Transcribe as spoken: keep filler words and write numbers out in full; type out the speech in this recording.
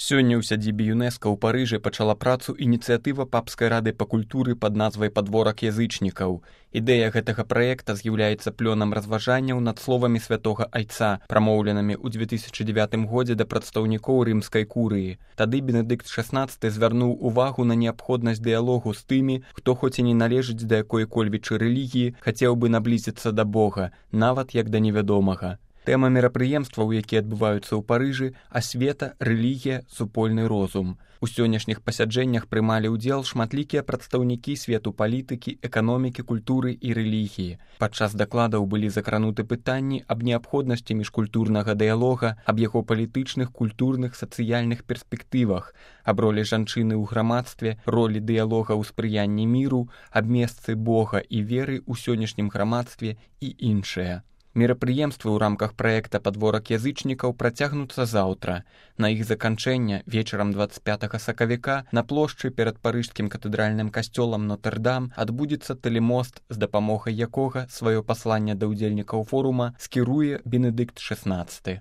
Сёння ў сядзібе ЮНЕСКА ў Парыжы пачала працу ініцыятыва папскай рады па культуры пад назвай «Падворак язычнікаў». Ідэя гэтага праекта з'яўляецца плёнам разважанняў над словамі святога айца, прамоўленымі ў дзве тысячы дзевятым годзе да прадстаўнікоў рымскай курыі. Тады Бенедыкт шаснаццаты звярнуў увагу на неабходнасць дыялогу з тымі, хто хоць і не належыць да якой-кольвічы рэлігіі, хацеў бы наблізіцца да Бога, нават як да невядомага. Тэма мерапрыемстваў, якія адбываюцца ў Парыжы, асвета, рэлігія, супольны розум. У сённяшніх пасяджэннях прымалі ўдзел шматлікія прадстаўнікі свету палітыкі, эканомікі, культуры і рэлігіі. Падчас дакладаў былі закрануты пытанні аб неабходнасці міжкультурнага дыялога, аб яго палітычных, культурных, сацыяльных перспектывах, аб ролі жанчыны ў грамадстве, ролі дыялога ў спрыянні міру, аб месцы Бога і веры ў сённяшнім грамадстве і іншае. Мерапрыемствы ў рамках праекта «Падворак язычнікаў» працягнуцца заўтра. На іх заканчэнне вечарам дваццаць пятага сакавіка на плошчы перад парыжскім катэдральным касцёлам Нотр-Дам адбудзецца тэлемост, з дапамогай якога сваё пасланне да ўдзельнікаў форума скіруе Бенедыкт шаснаццаты.